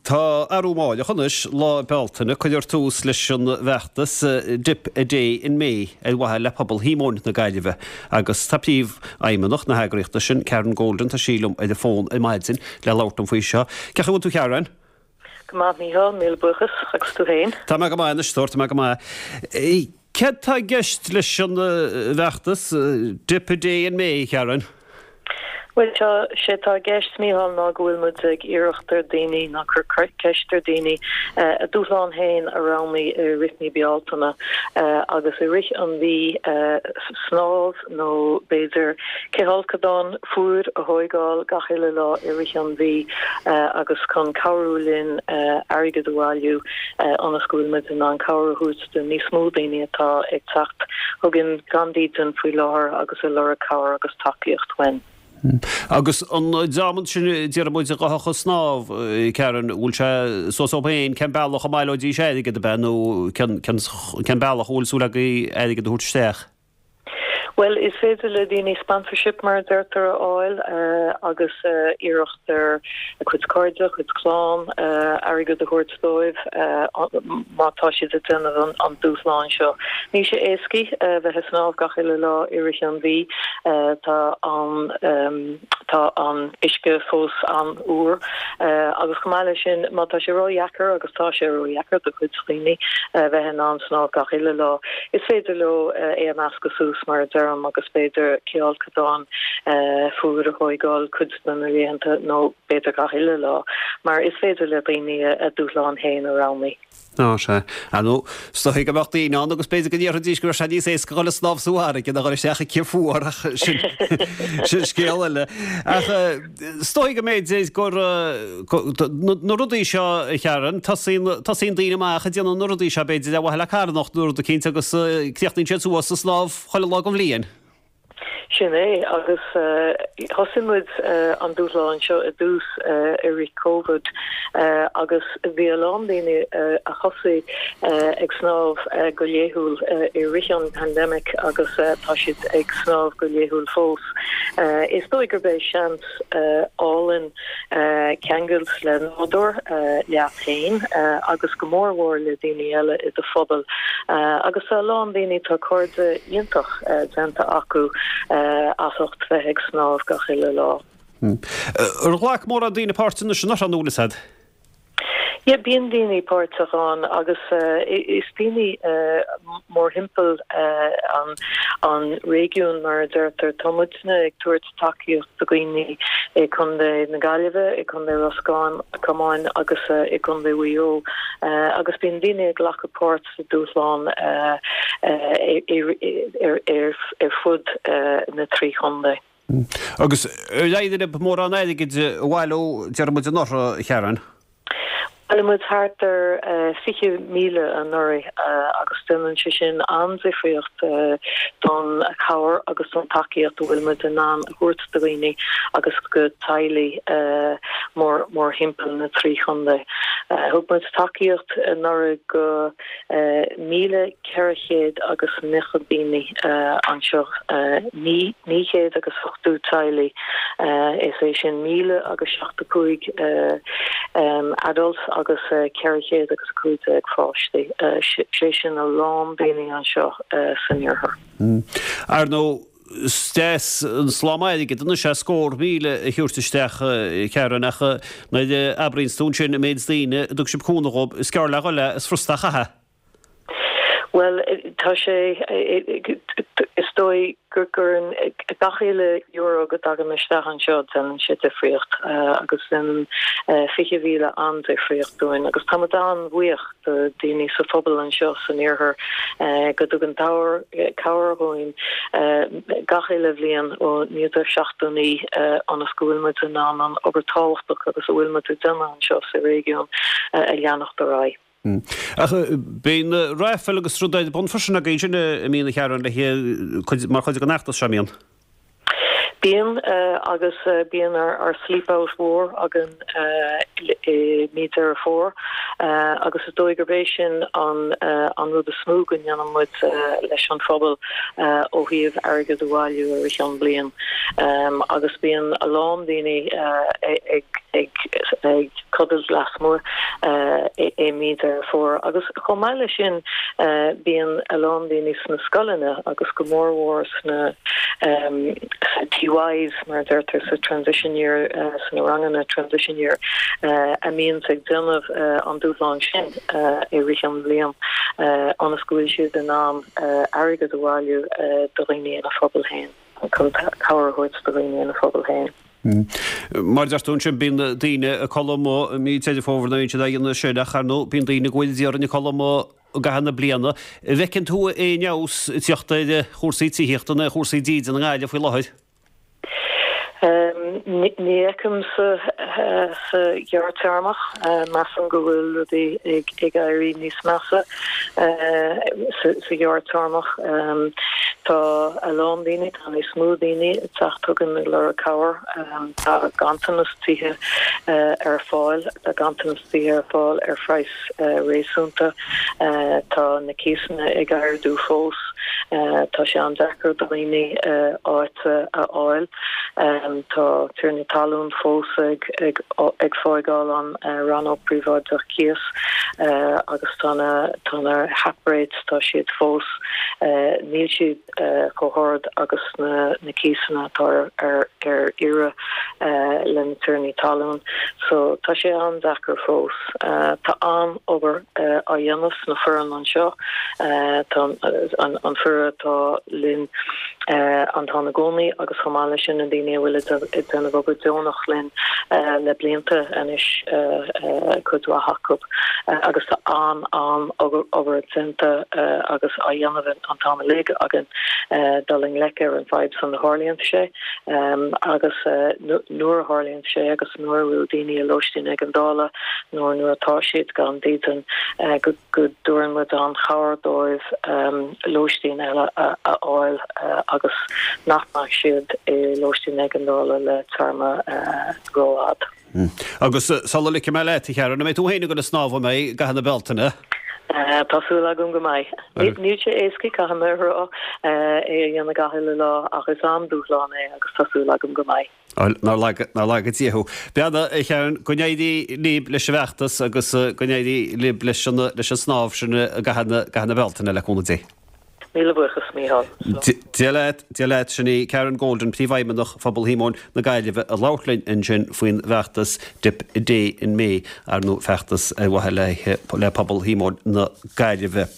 Tá arú amáireach anois, Lá Bealtaine, cuirfear tús leis an bhfeachtas Dip a Day in May ar mhaithe le pobal Shíomóin na Gaillimhe agus tá Príomhfheidhmeannach na heagraíochta sin, Karen Golden, tá sí liom ar an bhfón ar maidin le labhairt liom faoi seo. Cén chaoi a bhfuil tú Karen? Go maith Mícheál, míle buíochas, agus tú féin? Tá mé go maith anois, tá mé go maith. Céard tá i gceist leis an bhfeachtas Dip a Day in May, Karen? Bhuel, tá, sé atá i gceist, Mícheál, ná go bhfuil muid ag iarracht ar daoine, ná cur ceist ar daoine, a dúshlán féin a roghnú i rith mí Bealtaine agus i rith an mhí snámh nó b'fhéidir cithfholcadán fuar a thóigeáil gach uile lá i rith an mhí agus chun cabhrú linn airgead a bhailiú ionas go bhfuil muid in ann cabhair a thabhairt do níos mó daoine atá ag teacht chugainn gan dídean faoi láthair agus ag lorg cabhair agus tacaíocht uainn. Agus an dream ansin a déarfaidh muid a ghabhfadh ag snámh, Karen, bhfuil sé suas dóibh féin cén bealach a mbaileoidís airgead, ab ea, nó cén bealach a bhfuil súil agaibh airgead a thabhairt isteach? Bhuel, is féidir le daoine sponsorship, mar a deirtear, a fháil agus iarracht ar a cuid cairde, a cuid clann airgead a thabhairt dóibh má tá siad ag déanamh an dúshláin seo. Níl sé éascaí bheith ag snámh gach uile lá i rith an mhí. Tá an tá an uisce fós an-fhuar agus chomh maith leis sin, má tá sé ródheacair, agus tá sé ródheacair do chuid daoine bheith in ann snámh gach uile lá, Is féidir leo é a mheascadh suas, mar a deirim, agus b'fhéidir cithfholcadán fuar a thóigeáil cuid de na laethanta, nó b'fhéidir gach uile lá, mar is féidir le daoine a dúshlán féin a roghnú. Á, sea. Ar ndóigh, is dóigh go mbeadh daoine ann agus b'fhéidir go ndéarfaidís go raibh sé níos éasca dhul ag snámh sa bhfarraige ná dhul isteach i gcith fuar, ach sin, sin scéal eile. Ach is dóigh go mb'fhéidir gur, na rudaí seo, a Karen, tosaíonn, tosaíonn daoine amach ag déanamh na rudaí seo, b'fhéidir, ar mhaithe le carthanacht nó rud eicínt agus críochnaíonn siad suas ag snámh chuile lá den bhliain. Sin é, agus thosaigh muid an dúshlán seo i dtús i rith Covid agus bhí a lán daoine a thosaigh ag snámh go laethúil i rith an pandemic agus tá siad ag snámh go laethúil fós. Is dóigh gurb é seans álainn ceangailt le nádúr, leat féin agus go mór mhór le daoine eile i do phobal. Agus tá a lán daoine, tá cairde iontach déanta acu as ucht bheith ag snámh gach uile lá. Ar ghlac mórán daoine páirt anois anuraidh nó an bhfuil fhios a'd? Yeah, bíonn daoine páirteach ann agus is daoine mórthimpeall an réigiún mar a deirtear. Tá muidne ag tabhairt tacaíocht do dhaoine i gContae na Gaillimhe, i gContae Ros Comáin agus i gContae Mhaigh Eo agus bíonn daoine ag glacadh páirt sa dúshlán ar fud na dtrí chontae. Agus ar éirigh libh mórán airgid a bhailiú, déarfaidh muid anuraidh, a Karen? Bhailigh muid thart ar 20,000 anuraidh agus déanann sé sin an-difríocht don chabhair agus don tacaíocht a bhfuil muid in ann a thabhairt do dhaoine agus go teaghlaigh mórthimpeall na dtrí chontae. Thug muid tacaíocht anuraidh go 1,490 daoine anseo, 980 teaghlaigh, is é sin 1,075 adults agus 415 pháistí, sé sin a lán daoine anseo san iarthar. Ar ndóigh, is deas an slám airgid anois é scór míle a thabhairt isteach, a Karen, ach nuair a abraíonns tú ansin an méid daoine a dtug sibh cúnamh dhób, is gearr le dhul é, is furasta a chaitheamh. Bhuel, tá sé, is dóigh go gcuireann gach uile euro go dtagann isteach anseo, déanann sé difríocht agus déanann 20,000 an-difríocht dúinn agus tá muid an-bhuíoch do daoine sa phobal anseo san iarthar go dtugann cabhair dhúinn gach uile bhliain ó 1979 ionas go bhfuil muid in ann an obair tábhachtach agus a bhfuil muid ag déanamh anseo sa réigiún a leanacht ar aghaidh. Ach bíonn raifil agus rudaí ar bun freisin agaibh ansin an mbíonn a Karen le mar chuid den fheachtas seo, an mbíonn? Bíonn, agus bíonn ár Sleep Out mhór againn i mí Deireadh Fómhair agus is dóigh gurb é sin an rud is mó go ndéanann muid leis an phobal ó thaobh airgead a bhailiú i rith an bliain. Agus bíonn a lán daoine ag. Codailt lasmuigh i mí Deireadh Fómhair. Agus chomh maith leis sin bíonn a lán daoine sna scoileanna agus go mór mhór sna TYs mar a deirtear sa transition year, sna ranganna transition year a mbíonns ag déanamh an dúshlán sin i rith an bhliain ionas go bhfuil siad in ann airgead a bhailiú do dhaoine ina phobal féin, chun cabhair a thabhairt do dhaoine ina phobal féin. Mar a deir tú ansin, bíonn daoine ag codladh amuigh i mí Deireadh Fómhair nó bíonn siad á dhéanamh sin ach ar ndóigh bíonn daoine go bhfuil d'iarraidh ag codladh amuigh i gcaitheamh na bliana. An bhfeiceann tú aon fheabhas ag teacht ar chúrsaí tithíochta nó ar chúrsaí dídine i nGaillimh faoi láthair? Ní fheicim sa ghearrtéarmach. Measaim go bhfuil rudaí ag éirí níos measa sa ghearrtéarmach. Tá a lán daoine, tá níos mó daoine ag teacht chugainn ag lorg cabhair. Tá ganntanas tithe ar fáil, tá ganntanas tithe ar fáil ar phraghas réasúnta. Tá na cíosanna ag ardú fós. Tá sé an-deacair do dhaoine áit a fháil. Tá tiarnaí talún fós ag ag fágáil an rannóg príobháideach cíos agus tá na tá na hap rates, tá siad fós, níl siad chomh hard agus na na cíosanna atá ar ar iarraidh le na tiarnaí talún. So tá sé an-deacair fós. Tá an-obair á dhéanamh sna foireann anseo. Tá an foireann atá linn an t-am i gcónaí agus chomh maith leis sin na daoine a bhfuil ag déanamh obair deonach linn le blianta anois, cuid mhaith acu agus tá an-an-obair déanta agus á dhéanamh an t-am uilig againn dul i ngleic ar an bhfadhb san a tharlaíonn sé agus nuair a tharlaíonn sé agus nuair a bhfuil daoine i lóistín éigeandála nó nuair atá siad gan dídean go go dtabharann muid an-chabhair dóibh lóistín eile a fháil agus nach mbeadh siad i lóistín éigeandála le téarma rófhada. Agus sula ligfidh mé leat, a Sharon, an mbeidh tú féin ag dul ag snámh an mbeidh, i gcaitheamh na Bealtaine? Tá súil agam go mbeidh. Níl sé éasca, caithfidh mé a rá, é a dhéanamh gach uile lá ach is an-dúshlán é agus tá súil agam go mbeidh. Nár laga Dia thú. Beannacht, a Sharon, go n-éirí libh leis an bhfeachtas agus go n-éirí libh leis an snámh sin i gcaitheamh na Bealtaine, le cúnamh Dé. Míle buíochas, Mícheál. Dia leat, Dia leat. Sin í Karen Golden, Príomhfheidhmeannach Phobal Shíomóin na Gaillimhe ag labhairt linn ansin faoin bhfeachtas Dip a Day in May, ar ndóigh feachtas ar mhaithe le pobal Shíomóin na Gaillimhe.